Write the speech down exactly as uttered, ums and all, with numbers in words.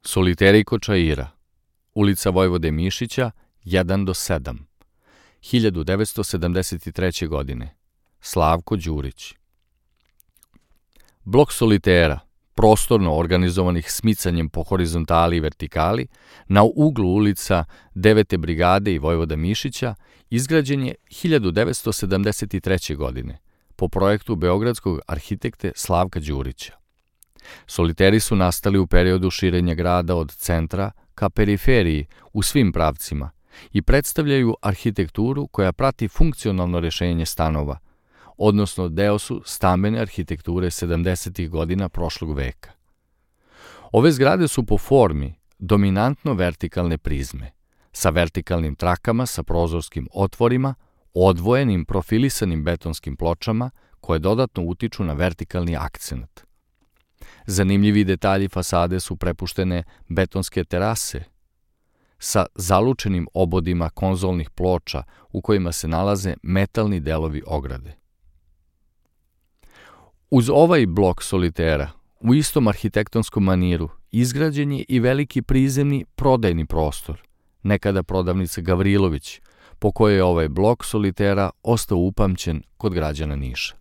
Soliteri kod Čaira, ulica Vojvode Mišića, jedan do sedam, hiljadu devetsto sedamdeset treće. godine, Slavko Đurić. Blok solitera, prostorno organizovanih smicanjem po horizontali i vertikali, na uglu ulica devete brigade i Vojvoda Mišića, izgrađen je hiljadu devetsto sedamdeset treće. godine, po projektu beogradskog arhitekte Slavka Đurića. Soliteri su nastali u periodu širenja grada od centra ka periferiji u svim pravcima i predstavljaju arhitekturu koja prati funkcionalno rešenje stanova, odnosno deo su stambene arhitekture sedamdesetih godina prošlog veka. Ove zgrade su po formi dominantno vertikalne prizme, sa vertikalnim trakama sa prozorskim otvorima, odvojenim profilisanim betonskim pločama koje dodatno utiču na vertikalni akcent. Zanimljivi detalji fasade su prepuštene betonske terase sa zalučenim obodima konzolnih ploča u kojima se nalaze metalni delovi ograde. Uz ovaj blok solitera, u istom arhitektonskom maniru, izgrađen je i veliki prizemni prodajni prostor, nekada prodavnica Gavrilović, po kojoj je ovaj blok solitera ostao upamćen kod građana Niša.